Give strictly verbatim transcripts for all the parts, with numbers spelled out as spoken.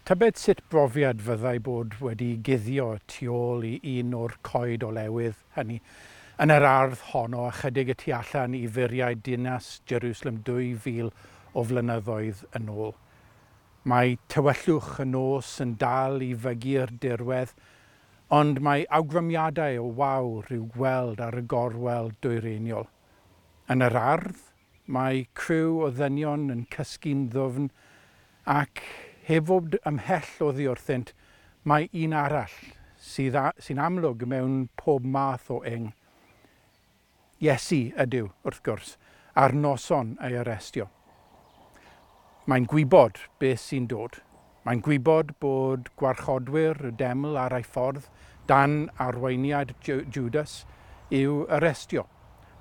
Tybed sut brofiad fyddai bod wedi guddio tu ôl i un o'r coed olewydd hynny yn yr ardd honno ychydig y tu allan i furiau dinas Jerusalem dwy fil o flynyddoedd yn ôl. Mae tywyllwch y nos yn dal i fygu'r dirwedd, ond mae awgrymiadau o wawr i'w gweld ar y gorwel dwyreiniol. Yn yr ardd, mae criw o ddynion yn cysgu'n ddwfn ac heb fod ymhell oddi wrthynt, mae un arall sydd sy'n amlwg mewn pob math o ing. Iesu ydyw, wrth gwrs, a'r noson ei arestio. Mae'n gwybod beth sy'n dod. Mae'n gwybod bod gwarchodwyr y deml ar ei ffordd dan arweiniad Judas i'w arestio.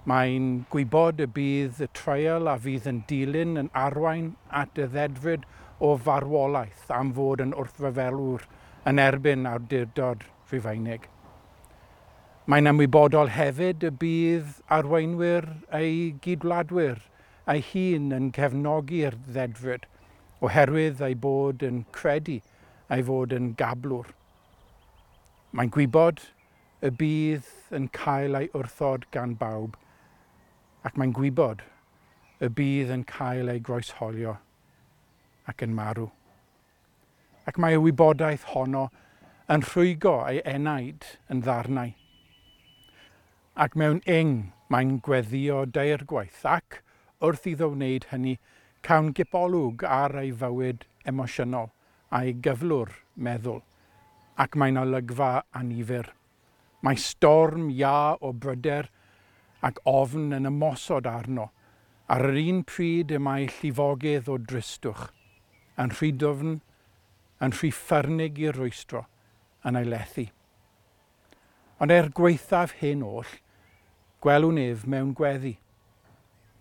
Mae'n gwybod y bydd y treial a fydd yn dilyn yn arwain at y ddedfryd o farwolaeth am fod yn wrthryfelwr yn erbyn awdurdod Rhufeinig. Mae'n ymwybodol hefyd y bydd arweinwyr ei gydwladwyr ei hun yn cefnogi'r ddedfryd oherwydd ei bod yn credu ei fod yn gablwr. Mae'n gwybod y bydd yn cael ei wrthod gan bawb ac mae'n gwybod y bydd yn cael ei groesholio ac yn marw. Ac mae y wybodaeth honno yn rhwygo ei enaid yn ddarnau. Ac mewn ing mae'n gweddio deirgwaith ac wrth iddo wneud hynny cawn gipolwg ar ei fywyd emosiynol a'i gyflwr meddwl ac mae'n olygfa annifyr. Mae storm iâ o bryder ac ofn yn ymosod arno. Ar yr un pryd y mae llifogydd o dristwch, yn rhy dwfn, yn rhy ffyrnig i rwystro, yn ei lethu. Ond er gwaethaf hyn oll, gwelwn ef mewn gweddi.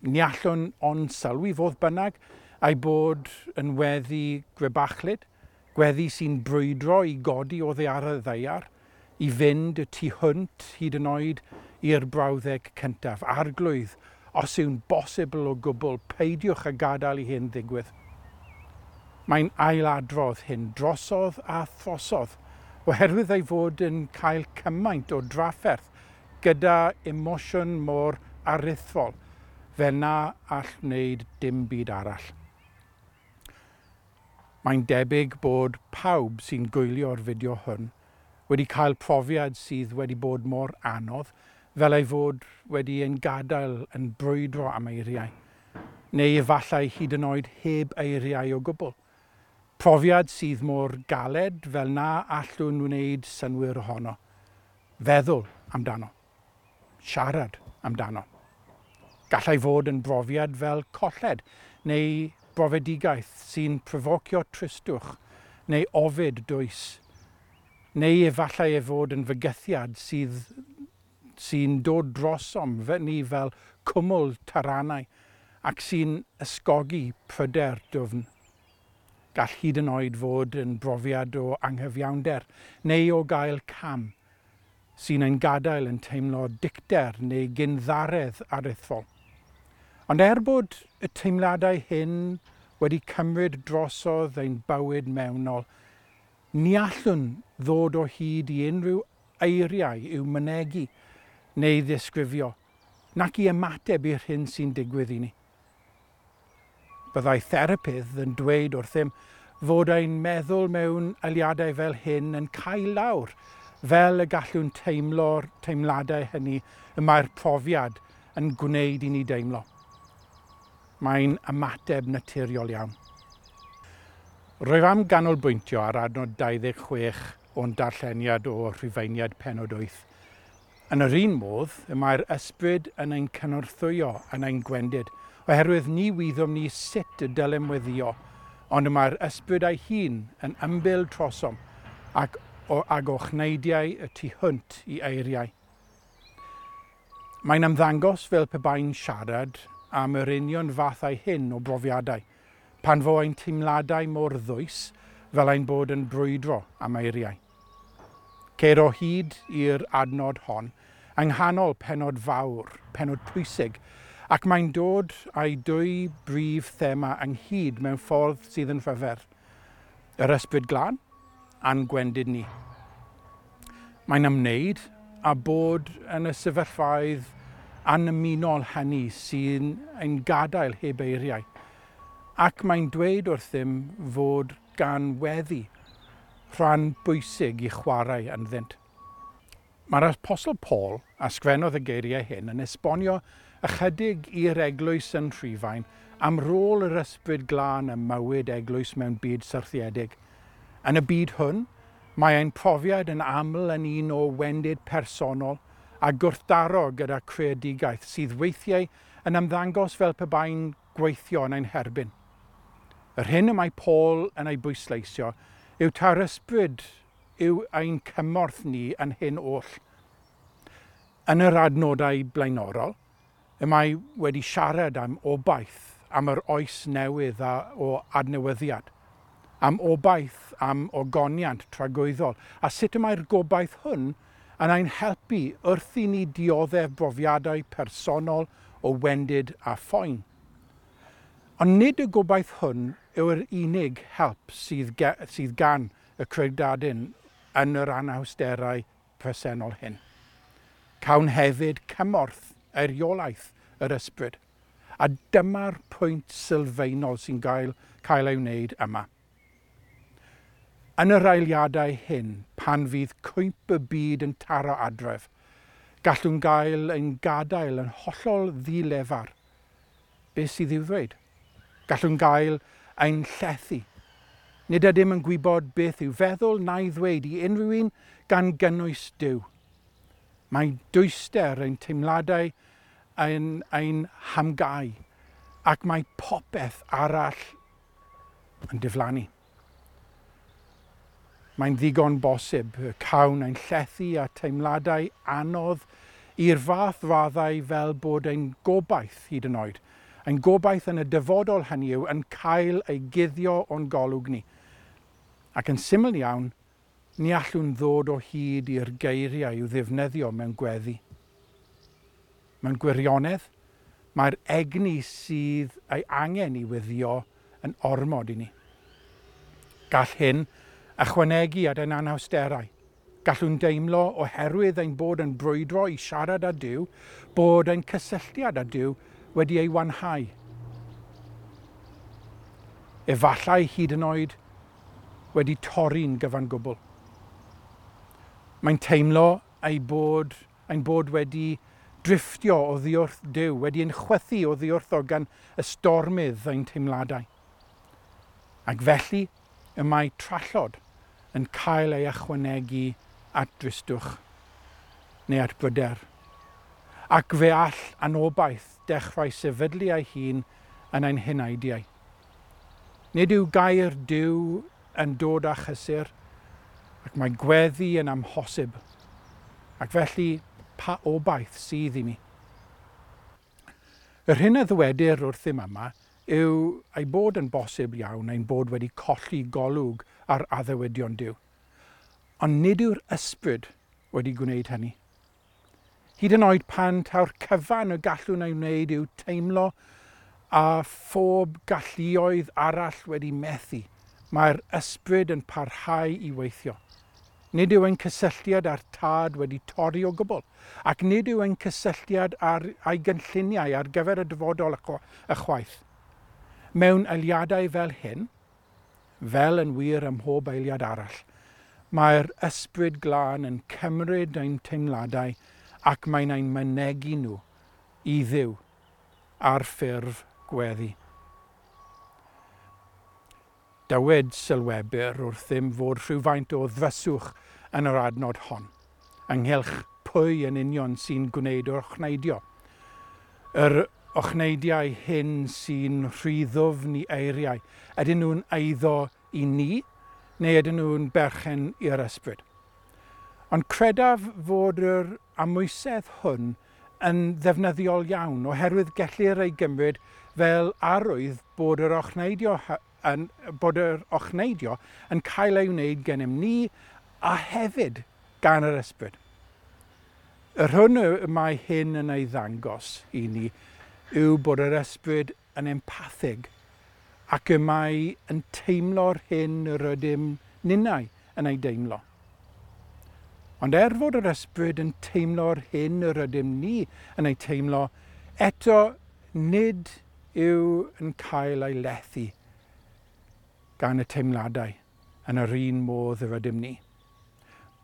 Ni allwn ond sylwi fodd bynnag ei bod yn weddi grebachlyd, gweddi sy'n brwydro i godi oddi ar y ddaear, i fynd y tu hwnt hyd yn oed i'r brawddeg cyntaf. Arglwydd, os yw'n bosibl o gwbl, peidiwch â gadael i hyn ddigwydd. Mae'n ailadrodd hyn drosodd a throsodd, oherwydd ei fod yn cael cymaint o drafferth gyda emosiwn mor aruthrol, fel na all wneud dim byd arall. Mae'n debyg bod pawb sy'n gwylio'r fideo hwn wedi cael profiad sydd wedi bod mor anodd fel ei fod wedi ein gadael yn brwydro am eiriau, neu efallai hyd yn oed heb eiriau o gwbl. Profiad sydd mor galed fel na allwn wneud synnwyr ohono. Feddwl amdano. Siarad amdano. Gallai fod yn brofiad fel colled neu brofedigaeth sy'n pryfocio tristwch neu ofid dwys, neu efallai ei fod yn fygythiad sydd sy'n dod drosom ni fel cwmwl taranau ac sy'n ysgogi pryder dwfn. Gall hyd yn oed fod yn brofiad o anghyfiawnder neu o gael cam sy'n ein gadael yn teimlo dicter neu gynddaredd aruthrol. Ond er bod y teimladau hyn wedi cymryd drosodd ein bywyd mewnol, ni allwn ddod o hyd i unrhyw eiriau i'w mynegi neu ddisgrifio, nac i ymateb i'r hyn sy'n digwydd i ni. Byddai therapydd yn dweud wrthym fod ein meddwl mewn eiliadau fel hyn yn cael lawr, fel y gallwn teimlo'r teimladau hynny y mae'r profiad yn gwneud i ni deimlo. Mae'n ymateb naturiol iawn. Rwyf am ganolbwyntio ar adnod dau ddeg chwech o'n darlleniad o Rhufeiniaid pennod wyth. Yn yr un modd, y mae'r ysbryd yn ein cynorthwyo yn ein gwendid, oherwydd ni wyddom ni sut y dylem weddio, ond y mae'r ysbryd ei hun yn ymbil trosom ac o, ag ochneidiau y tu hwnt i eiriau. Mae'n ymddangos fel pe bai'n siarad am yr union fathau hyn o brofiadau, pan fo ein teimladau mor ddwys fel ein bod yn brwydro am eiriau. Ceir o hyd i'r adnod hon yng nghanol pennod fawr, pennod pwysig, ac mae'n dod â'i dwy brif thema ynghyd mewn ffordd sydd yn rhyfedd. Yr Ysbryd Glân a'n gwendid ni. Mae'n ymwneud â bod yn y sefyllfaoedd annymunol hynny sy'n ein gadael heb eiriau. Ac mae'n dweud wrthym fod gan weddi rhan bwysig i chwarae ynddynt. Mae'r Apostol Paul, a sgwennodd y geiriau hyn, yn esbonio ychydig i'r eglwys yn Rhufain am rôl yr Ysbryd Glân ym mywyd eglwys mewn byd syrthiedig. Yn y byd hwn, mae ein profiad yn aml yn un o wendid personol a gwrthdaro gyda creadigaeth sydd weithiau yn ymddangos fel pe bai'n gweithio yn ein herbyn. Yr hyn y mae Paul yn ei bwysleisio yw taw'r ysbryd yw ein cymorth ni yn hyn oll. Yn yr adnodau blaenorol, y mae wedi siarad am obaith, am yr oes newydd a, o adnewyddiad, am obaith, am ogoniant tragwyddol, a sut y mae'r gobaith hwn yn ein helpu wrth i ni dioddef brofiadau personol o wendid a phoen. Ond nid y gobaith hwn yw'r unig help sydd, ge, sydd gan y credadun yn yr anawsterau presennol hyn. Cawn hefyd cymorth eiriolaeth yr ysbryd, a dyma'r pwynt sylfaenol sy'n gael, cael ei wneud yma. Yn yr eiliadau hyn, pan fydd cwymp y byd yn taro adref, gallwn gael ein gadael yn hollol ddilefar. Beth sydd i'w ddweud? Gallwn gael ein llethu. Nid ydym yn gwybod beth i'w feddwl na'i ddweud i unrhyw un gan gynnwys Duw. Mae dwyster ein teimladau ein, ein hamgau, ac mae popeth arall yn diflannu. Mae'n ddigon bosib y cawn ein llethu a teimladau anodd i'r fath raddau fel bod ein gobaith hyd yn oed, ein gobaith yn y dyfodol hynny yw yn cael ei guddio o'n golwg ni. Ac yn syml iawn, ni allwn ddod o hyd i'r geiriau i'w ddefnyddio mewn gweddi. Mewn gwirionedd, mae'r egni sydd ei angen i weddïo yn ormod i ni. Gall hyn ychwanegu at ein anawsterau. Gallwn deimlo oherwydd ein bod yn brwydro i siarad â Duw, bod ein cysylltiad â Duw wedi ei wanhau. Efallai hyd yn oed wedi torri'n gyfan gwbl. Mae'n teimlo ei bod, ein bod wedi drifftio oddi wrth Duw, wedi ein chwythu oddi wrtho gan y stormydd ein teimladau. Ac felly y mae trallod yn cael ei ychwanegu at dristwch neu at bryder. Ac fe all anobaith dechrau sefydlu ei hun yn ein heneidiau. Nid yw gair Duw yn dod â chysur, ac mae gweddi yn amhosib. Ac felly, pa obaith sydd i mi? Yr hyn a ddywedir wrthym yma yw ei bod yn bosib iawn ein bod wedi colli golwg ar addewidion Duw. Ond nid yw'r ysbryd wedi gwneud hynny. Hyd yn oed pan taw'r cyfan y gallwn ei wneud yw teimlo a phob galluoedd arall wedi methu, mae'r ysbryd yn parhau i weithio. Nid yw ein cysylltiad â'r Tad wedi torri o gwbl, ac nid yw ein cysylltiad â'r, â'i gynlluniau ar gyfer y dyfodol ychwaith. Mewn eiliadau fel hyn, fel yn wir ym mhob eiliad arall, mae'r Ysbryd Glân yn cymryd ein teimladau ac mae'n ein mynegi nhw i Dduw ar ffurf gweddi. Dywed sylwebwyr wrthym fod rhywfaint o ddryswch yn yr adnod hon, ynghylch pwy yn union sy'n gwneud yr ochneidio. Yr ochneidiau hyn sy'n rhy ddwfn i eiriau, ydyn nhw'n eiddo i ni neu ydyn nhw'n berchen i'r ysbryd? Ond credaf fod yr amwysedd hwn yn ddefnyddiol iawn, oherwydd gellir ei gymryd fel arwydd bod yr ochneidio yn, bod yr ochneidio yn cael ei wneud gennym ni a hefyd gan yr ysbryd. Yr hwn y mae hyn yn ei ddangos i ni yw bod yr ysbryd yn empathig ac y mae yn teimlo'r hyn yr ydym ninnau yn ei deimlo. Ond er fod yr ysbryd yn teimlo'r hyn yr ydym ni yn ei teimlo, eto nid yw yn cael ei lethu gan y teimladau yn yr un modd yr ydym ni.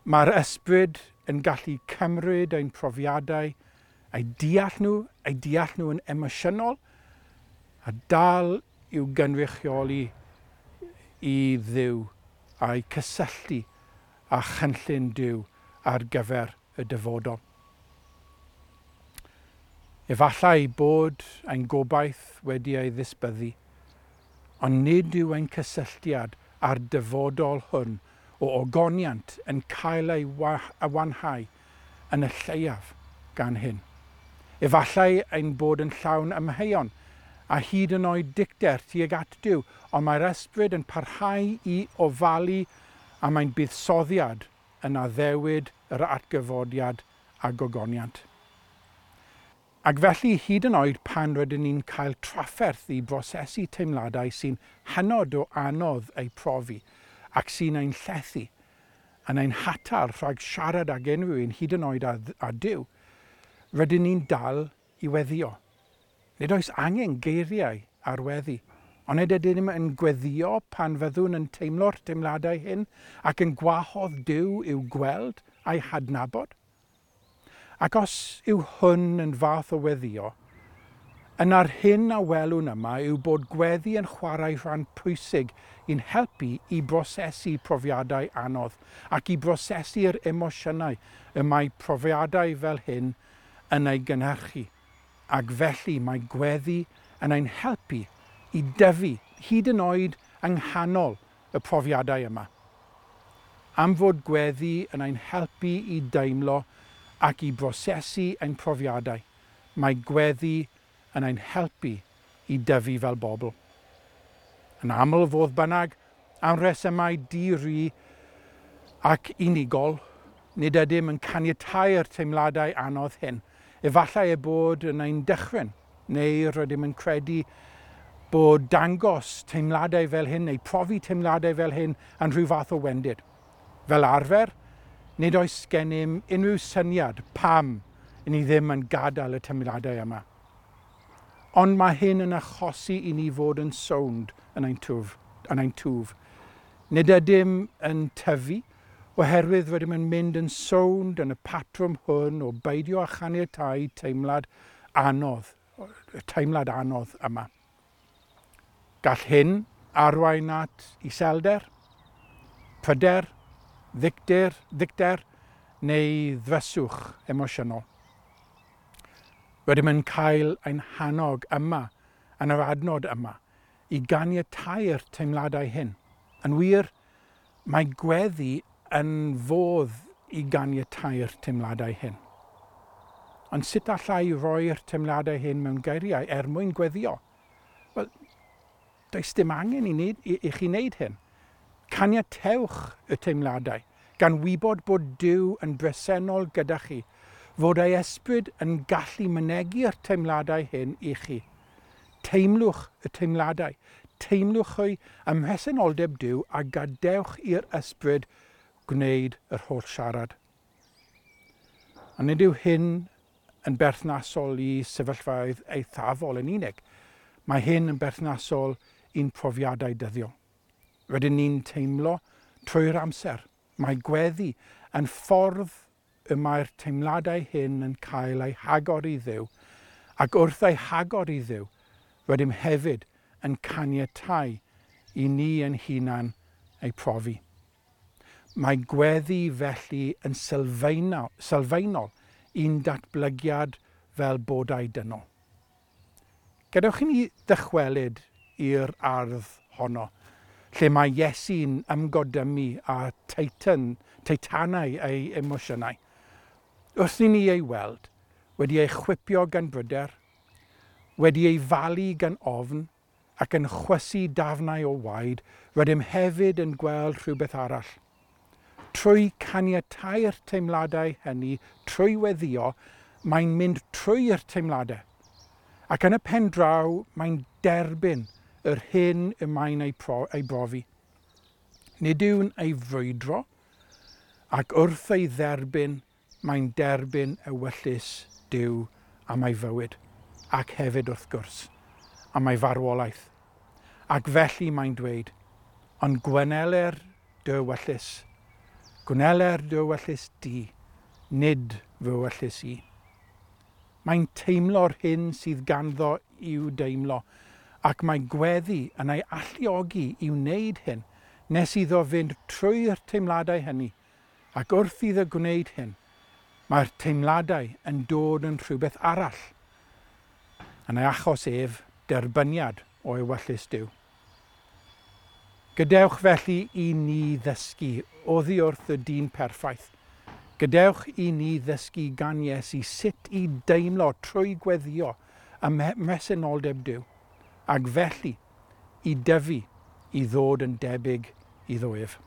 Mae'r ysbryd yn gallu cymryd ein profiadau, eu deall nhw, eu deall nhw yn emosiynol, a dal i'w gynrychioli i Dduw a'i cysylltu â chynllun Duw ar gyfer y dyfodol. Efallai bod ein gobaith wedi ei ddisbyddu, ond nid yw ein cysylltiad â'r dyfodol hwn o ogoniant yn cael ei wanhau yn y lleiaf gan hyn. Efallai ein bod yn llawn amheuon a hyd yn oed dicter tuag at Duw, ond mae'r ysbryd yn parhau i ofalu am ein buddsoddiad yn addewid yr atgyfodiad a gogoniant. Ac felly, hyd yn oed pan rydyn ni'n cael trafferth i brosesu teimladau sy'n hynod o anodd eu profi ac sy'n ein llethu, yn ein hatal rhag siarad ag unrhyw un hyd yn oed â, â Duw, rydyn ni'n dal i weddio. Nid oes angen geiriau ar weddi, ond nid ydym yn gweddio pan fyddwn yn teimlo'r teimladau hyn ac yn gwahodd Duw i'w gweld a'i hadnabod. Ac os yw hwn yn fath o weddio, yna'r hyn a welwn yma yw bod gweddi yn chwarae rhan pwysig i'n helpu i brosesu profiadau anodd ac i brosesu'r emosiynau y mae profiadau fel hyn yn ei gynhyrchu. Ac felly mae gweddi yn ein helpu i dyfu hyd yn oed yng nghanol y profiadau yma. Am fod gweddi yn ein helpu i deimlo ac i brosesu ein profiadau, mae gweddi yn ein helpu i dyfu fel bobl. Yn aml fodd bynnag, am resymau di-ri ac unigol, nid ydym yn caniatáu'r teimladau anodd hyn. Efallai eu bod yn ein dychryn, neu rydym yn credu bod dangos teimladau fel hyn neu profi teimladau fel hyn yn rhyw fath o wendid. Fel arfer, nid oes gennym unrhyw syniad pam ni ddim yn gadael y teimladau yma. Ond mae hyn yn achosi i ni fod yn sownd yn ein twf. Yn ein twf. Nid ydym yn tyfu, oherwydd rydym yn mynd yn sownd yn y patrwm hwn o beidio â chaniatáu teimlad anodd, y teimlad anodd yma. Gall hyn arwain at iselder, pryder, ddicter, ddicter neu ddryswch emosiynol. Rydym yn cael ein hannog yma, yn yr adnod yma, i ganiatáu'r teimladau hyn. Yn wir, mae gweddi yn fodd i ganiatáu'r teimladau hyn. Ond sut allai roi'r teimladau hyn mewn geiriau er mwyn gweddio? Wel, does dim angen i, neud, i, i chi wneud hyn. Caniatewch y teimladau, gan wybod bod Duw yn bresennol gyda chi, fod ei ysbryd yn gallu mynegi'r teimladau hyn i chi. Teimlwch y teimladau, teimlwch hwy ym mhresenoldeb Duw a gadewch i'r ysbryd gwneud yr holl siarad. A nid yw hyn yn berthnasol i sefyllfaoedd eithafol yn unig. Mae hyn yn berthnasol i'n profiadau dyddiol. Rydyn ni'n teimlo trwy'r amser. Mae gweddi yn ffordd y mae'r teimladau hyn yn cael eu hagor i Dduw, ac wrth eu hagor i Dduw, rydym hefyd yn caniatáu i ni ein hunan eu profi. Mae gweddi felly yn sylfaenol, sylfaenol i'n datblygiad fel bodau dynol. Gadewch i ni ddychwelyd i'r ardd honno, lle mae Iesu'n ymgodymu â teitan, teitanau ei emosiynau. Wrth i ni ei weld, wedi ei chwipio gan bryder, wedi ei falu gan ofn ac yn chwysu dafnau o waed, rydym hefyd yn gweld rhywbeth arall. Trwy caniatáu'r teimladau hynny, trwy weddio, mae'n mynd trwy'r teimladau. Ac yn y pen draw, mae'n derbyn yr hyn y mae'n ei, pro, ei brofi. Nid yw'n ei frwydro, ac wrth ei dderbyn, mae'n derbyn ewyllys Duw am ei fywyd, ac hefyd wrth gwrs, am ei farwolaeth. Ac felly mae'n dweud, ond gweneler dy ewyllys, gwneler dy ewyllys di, nid fy ewyllys i. Mae'n teimlo'r hyn sydd ganddo i'w deimlo, ac mae gweddi yn ei alluogi i wneud hyn, nes iddo fynd trwy'r teimladau hynny, ac wrth iddo gwneud hyn, mae'r teimladau yn dod yn rhywbeth arall. Yn ei achos ef, derbyniad o ewyllys Duw. Gadewch felly i ni ddysgu oddi wrth y dyn perffaith. Gadewch i ni ddysgu gan Iesu sut i deimlo trwy gweddio ym mhresenoldeb Duw, ac felly i dyfu i ddod yn debyg iddo ef.